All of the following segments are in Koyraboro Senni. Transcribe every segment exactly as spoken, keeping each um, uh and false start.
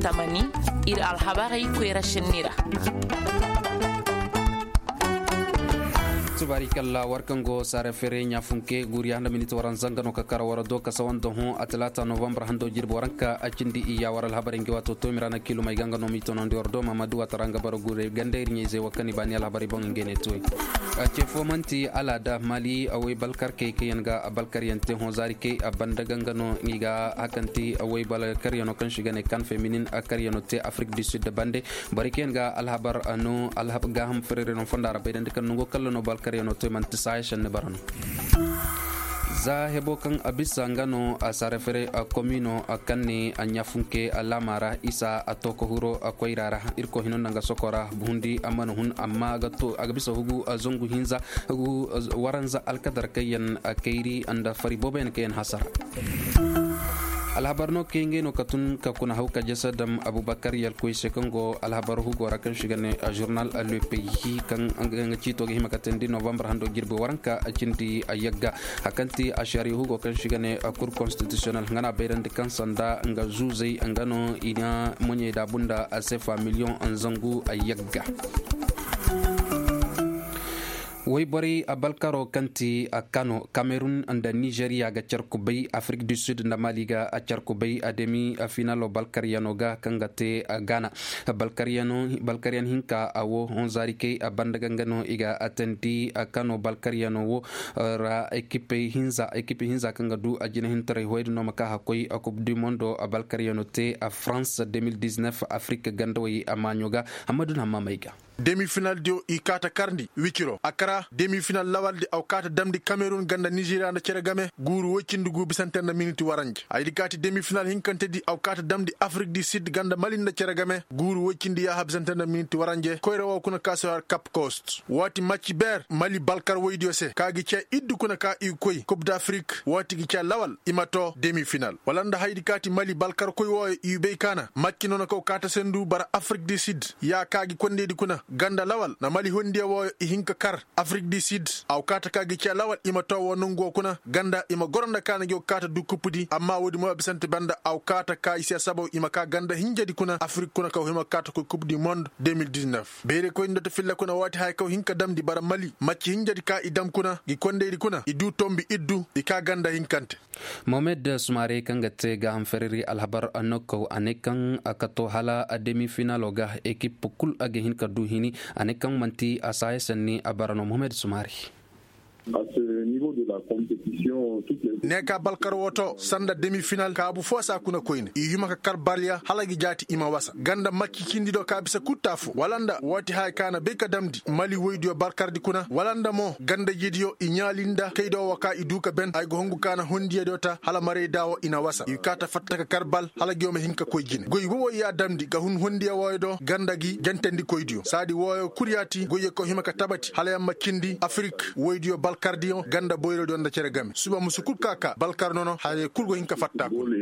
Tamani, ir alhabarey koyra sinni ra. Tubaari kalla war kaŋ go saara fere ɲaafunke guuriya handa miniti waranza nga no ka kara war do ka sawan da hõ a talaata novambar hando jirbi waranka a cindi iyya war alhabarey ngi waato to mirana kilumey ga nga no m'i tonandi war do mamadu watara nga bara guurey ganda ir ɲayzey wa kaŋ i baani alhabarey boŋ ngey ne tuwey. Cee fo manti alaada mali awey balkarkey kaŋ yaŋ ga balkaryaŋ te hõ zaari kay a banda ga nga no i ga hakanti awey balkaryano kaŋ si ga ne kan feminin a karyano te afrik du sud bande. Borey kaŋ yaŋ ga alhabar no gaaham ferereno fonda ra bayrandi kaŋ nango kalla no balkaryano te manti saaya senni bara no. Za hebo kaŋ a bisa nga no a sarafere a komino a kaŋ ne a ɲafunke a laama ra isa a to ka huro a koyra ra. Irkoy hino nda nga sokora hundi a mana hun amma a ga bisa hugu a zangu hinza waranza alkadar kaŋ yaŋ a kayri nda fari boobo yaŋ kaŋ yaŋ hasara. Alhabar no kay ngey no ka tun ka kuna haw ka jasa dam abubakar yalkoy se kaŋ go alhabar hugo ra kaŋ si ga ne a journal le pays kaŋ nga ciito ga hima ka teendi novambar hando jirbi waranka a cindi a yagga. A kaŋ ti a shariya hugo kaŋ si ga ne a kur konstitisiyonal nga na bayrandi kaŋ sanda nga zuuzey nga no i na moɲey da bunda a sefa miliyoŋ zangu a yagga. Wayborey a balkaro kaŋ ti a kano kamerun nda nizeriya ga car kubay afrik du sud nda mali ga a car kubay a demi a finalo balkaryano ga kaŋ ga te a gana. Balkaryan hinka a wo honzarikey a banda ga nga no i ga a tandi a kano balkaryano wo ra ekipi hinza kaŋ ga du a jina hintaray hoydi no ma ka hakkoy a kub du mondo a balkaryano te a france deux mille dix-neuf afrik gandawey a maaɲo ga. Hammadu na hammamey ga. Demi final diyo i kaata karndi wiciro a kara demi final lawaldi aw kaata damndi kamerun ganda nizeriya nda cere game guuru woy cindi gu bisante nda miniti waranje ay di kaati demi final hinkantedi aw kaata damndi afrik di sid ganda mali nda cere game guuru woy cindi yaaha bisante nda miniti waranje koyra wo kuna ka si har kap kost waati macci ber mali balkar woydiyo se ka gi ce iddu kuna ka i koy kub d'afrik waati gi ce lawal i ma to demi final wala nda haydi kaati mali balkar koy wooyo i bay kaana macci noona kaw kaata sendu bara afrik di sid ya ka gi kondeydi kuna ganda lawal na mali hondiya wooyo i hin ka kar afrik di sid aw kaata ka gi ce lawal i ma to woo nongu woo kuna ganda i ma goro nda kaana gi woo kaata du kuppudi amma woodi mo a bisante banda aw kaata ka i se sabaw i ma ka ganda hinjadi kuna afrik kuna kaw hima kaata koy kup di mond deux mille dix-neuf beere koy nda to filla kuna waati haya kaw hin ka damndi bara mali macci hinjadi ka i dam kuna gi kondeydi kuna i du tombi iddu i ka ganda hinkante. Mohamed sumare kaŋ ga te gaaham fereri alhabar nokkaw a ne kaŋ a kato hala demi finalo ga ekip kul a ga hin ka du hini a ne kaŋ manti a saaya sanni a bara no mohamed sumare. Ne ka balkar woto sanda demi final kaabu fo saa kuna koyne i hima ka kar balya hala gi jaati i ma wasa ganda macci cindi do ka bisa kutta fo wala nda waati haya ka na bay ka damndi mali woydiyo balkardi kuna wala nda mo ganda jidiyo i ɲaali nda kaydo wo ka i du ka ben ay ga hongu ka na hondiyadiyo ta hala maray da wo i na wasa i kaata fatta ka kar bal hala gi wo ma hin ka koy jine goy wowoy ya damndi ga hun hondiya wooyo do ganda gi jantandikoydiyo saadi wooyo kul yaati goyyo kaw hima ka tabati hala yamma cindi afrik woydiyo balkardiyo ganda boyrodiyo nda cere game suba musu kul ka ka balkar nono haya kul go hin ka fatta kul.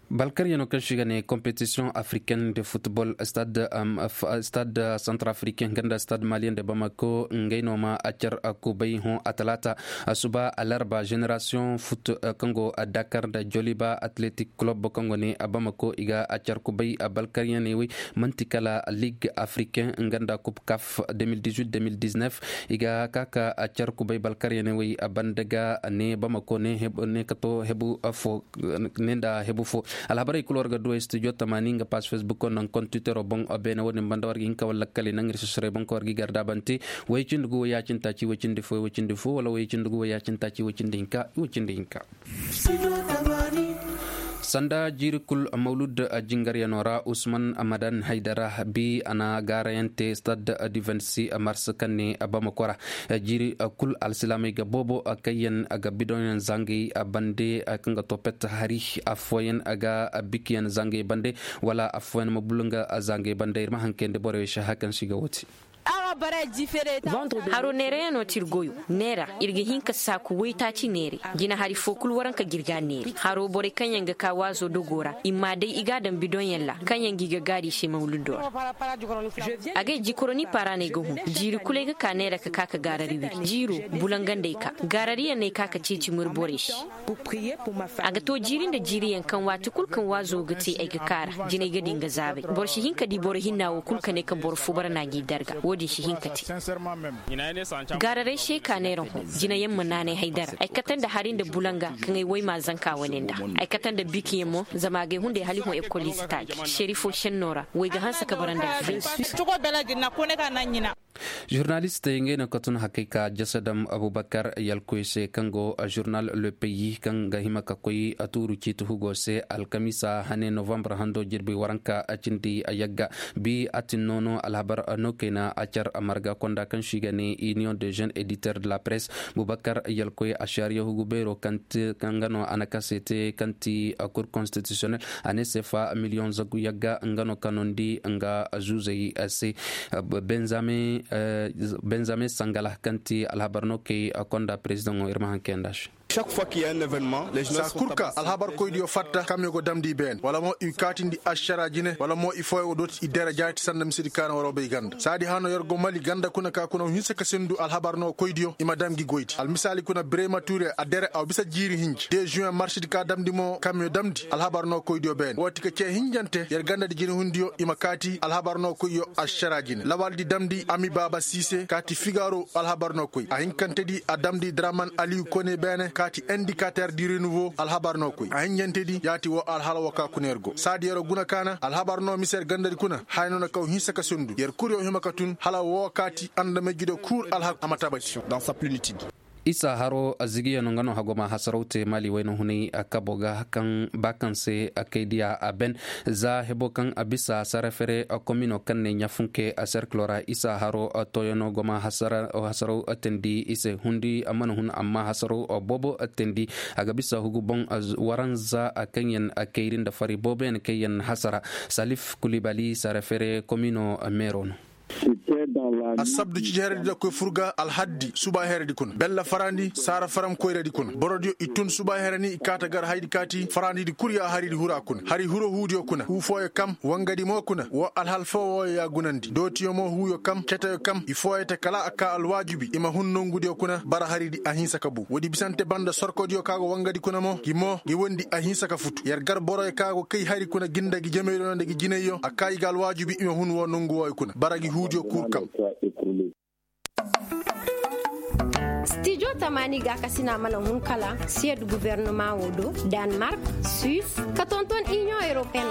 Balkaryaŋo kaŋ si ga ne competition africaine de football stade centrafricain ganda stade malien de bamako ngey no ma a car kubay hõ a talaata suba alarba génération foot kaŋ go dakar nda joliba athletic club kaŋ go ne bamako i ga a car kubay balkaryaŋey wey manti kala ligue africain nga nda coupe caf deux mille dix-huit deux mille dix-neuf i ga ka ka a car kubay balkaryaŋey wey banda ga ne bamako ne kato hebu fo ne nda hebu fo. Alhabarey kulu war ga duwey studio tamaani nga pass facebook o naŋ kon twittero boŋ beene wo-din banda war ga hin ka wala lakkali naŋ ir sosoroy boŋ ka war ga i gar daabante. Way cindi gu way yaacin taaci way cindi fo way cindi fo wala way cindi gu way yaacin taaci way cindi hinka way cindi hinka. Sanda jiiri kul mawlud jingaryano ra usman amadan haydara bi a na gaarayaŋ te stade du vingt-six mars kaŋ ne bamako ra. Jiiri kul alsilaamey ga boobo kaŋ yaŋ ga bidonyaŋ zangay bande kaŋ ga to pet hari affooyaŋ ga bikiyaŋ zangay bande wala affooyaŋ ma bulu nga zangay bande ir ma haŋ kayandi borey se haya kaŋ se i ga woo te. Haro neerayaŋo ti ir goyo. Neera ir ga hin ka saaku waytaaci neeray. Jinahari foo kul waranka ga ir ga a neeri. Haro borey kaŋ yaŋ ga ka waazo dogoo ra i m'a day i g'a daŋ bidonyaŋ ra kaŋ yaŋ ga i ga gaari i se mawludoo ra. Agay jikoroni paara no ay ga hun. Jiiri kul ay ga ka neera ka ka ka gaarari wiri jiiro. Bulangandey ka gaarariyaŋ no ay ka ka ceeci murborey se. A ga to jiiri nda jiiriyaŋ kaŋ waati kul kaŋ waazo ga te ay ga kaara jinay ga di nga zaabay. Boro si hin ka di boro hinna wo kul ka ne kaŋ boro fo bara na gi darga wo-din si hin ka te. Gaararay se ka neera hõ. Jinayaŋ ma naanay haydara ay kate nda hari nda bulanga kaŋ ay way ma zanka wane nda. Ay kate nda bikiyaŋ mo zama a ga ay hunday hala ay hõ ekol ize taaji seri fo senno ra. Way ga hanse ka bara nda alfayda. Žurnalistey ngey no ka tun hakay ka jasadam abubakar yalkoy se kaŋ go žurnal le pays kaŋ ga hima ka koy tuuru ciiti hugo se alkamiisa hane novambar hando jirbi waranka cindi yagga. Bi a tin noono alhabar no kayna a car marga konda kaŋ si ga ne union de jeune éditeur de la presse abubakar yalkoy a shariya hugu beero kaŋ ga no a na kase te kaŋ ti cour constitutionnel a ne sefa miliyoŋ zagu yagga nga no kanondi nga zuuzey se. Benjamin sangala kaŋ ti alhabar no kay konda perezidaŋo ir ma haŋ kayanda se. Saa kul ka alhabarkoydiyo fatta kaŋ me go damndi i beene wala mo i kaatindi ašara jine wala mo i fooyaŋ go dooti i dere jaati sanda misedi kaana waroo bay ganda saadi hano yer go mali ganda kuna ka kuna hinse ka sindu alhabar no koydiyo i ma dam gi goydi almisaali kuna birema ture a dere aw bisa jiiri hinji de juwen marsidi ka damndi mo kaŋ me damndi alhabar no koydiyo beene wooti ka cee hinjante yer gandadi jinehundiyo i ma kaati alhabar no koyyo ašara jine lawaldi damndi ami baaba siise kaati figaaro alhabar no koy a hinkantedi a damndi draman aliyu kone beene kaati indikater di renouveau alhabar no koy a hinjantedi yaati woo alhala woo ka kuna yer go saadi yeroo guna kaana alhabar no mise yer gandadi kuna haya no na kaw hinsa ka sundu yer kuryo hima ka tun hala woo kaati andamay jido kuur alhak a ma tabati. Isa haro zigiyaŋo nga no hagoma hasaraw te mali wayna hunay kabo ga kaŋ ba kaŋ se kay diya a ben za hebo kaŋ a bisa sarafere komino kaŋ ne ɲafunke serkilo ra isa haro toyano goma hasaraw tandi i se hundi mana hun amma hasaraw boobo tandi a ga bisa hugu boŋ waranza kaŋ yaŋ kayri nda fari boobo yaŋ kaŋ yaŋ hasara salif kulibali sarafere komino meero no. Assabdu cije heredi da koy fur ga alhaddi suba heredi kuna bella farandi saara faram koyredi kuna borodiyo i tun suba hereni i kaata gar haydi kaati farandidi kul ya haridi hura kuna hari huro huudiyo kuna huu fooyo kam wangadi mo kuna woo alhal foo wooyo ya gunandi dootiyo mo huuyo kam ceteyo kam i fooyo te kala a ka alwaajibi i ma hun nongudiyo kuna bara haridi a hinsa ka bu woodi bisante banda sorkodiyo ka go wangadi kuna mo gi mo gi wondi a hinsa ka futu yer gar boroyo ka go kay hari kuna gi nda gi jemaydiyo nda gi jinayyo a ka i ga alwaajibi i ma hun woo nongu wooyo kuna bara gi huudiyo kul kam. Stijo tamaani gaakasina mana hun kala siyad guverneman woo do, danmark, suis, ka tonton iniyoŋ europeyen.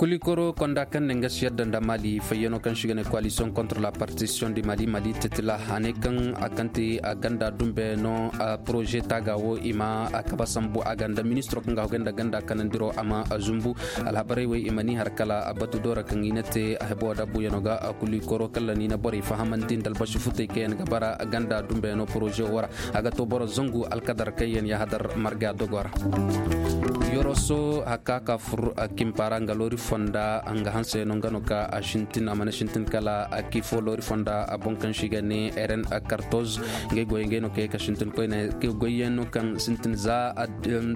Kulikoro konda kaŋ ne nga siyad nda mali fayyano kaŋ si ga ne koalisiyoŋ kontra la partisiyoŋ di mali mali tetila a ne kaŋ a kaŋ te a ganda dumbe no. Poroze taaga wo i ma a kaba sambu a ganda ministiro kaŋ ga hogay nda ganda kanandiro a ma zumbu. Alhabarey wey i ma ni har kala a batu doora kaŋ i na te a hebo da buuyano ga a kuli koro kala ni na borey fahamandi nda albasu futey kaŋ yaŋ ga bara ganda dumbe no poroze wo ra. A ga to boro zangu alkadar kaŋ yaŋ yahadar marga dogo ra. Yoroso hakka ka fur kimpara nga loori fonda nga hanse no nga no ka a sintin a mana sintin kala a kifo loori fonda a boŋ kaŋ si ga ne eren kartoz. Ngey goy ngey no kay ka sintin koyne goyyaŋ no kaŋ sintin za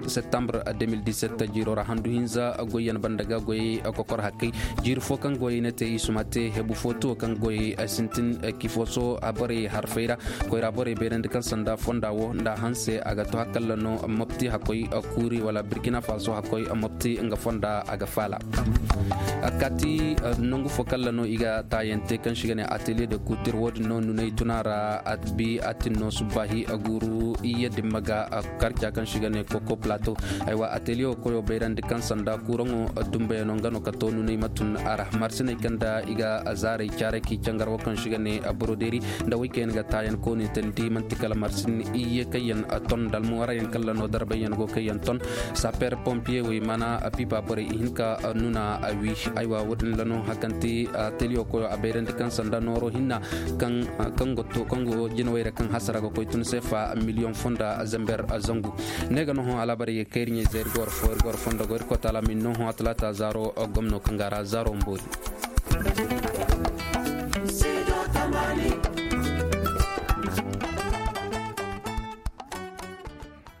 septembre deux mille dix-sept jiiro ra handu hinza goyyaŋ banda ga goy kokor hakkey. Jiiri fo kaŋ goy ne te i suma te hebu fo tuwo kaŋ goy sintin kifoso a borey harfey ra. Koyra borey beerandi kaŋ sanda fonda wo nda hanse a ga to hakalla no mopti hakkoy kuuri wala burkina faso hakkoy mopti nga fonda a ga faala. A kaati nangu fo kalla no i ga taayante kaŋ si ga ne atelier de couture wo-din no nunay tuna ra. Bi a tin no subbaahi a guuru iyye dimma ga karca kaŋ si ga ne koko plateau. Aywa atelier wo koyo bayrandi kaŋ sanda kuuraŋo dumbayano nga no ka to nunay ma tun a ra marsiney kaŋ da i ga zaaray caaray k'i cangar wo kaŋ si ga ne broderie nda wey kaŋ yaŋ ga taayan koonitandi manti kala marsin iyye kaŋ yaŋ ton dalmuwarayaŋ kalla no darbayyaŋ go kaŋ yaŋ ton. Saper pompier wey mana pipa borey i hin ka nuna a wi. Aywa wo-din ra no hakanti ateliyo koyo a bayrandi kaŋ sanda nooro hinna kaŋ go to kaŋ go jinawey ra kaŋ hasara ga koy tun seefa miliyoŋ fonda zamber zangu. Ne ga no hõ alaabarey ga kayri ɲey zay ir ga war fo ir ga war fondo go ir koy taala ma ir no hõ a talaata zaaro gomno kaŋ ga a ra zaaro mboori.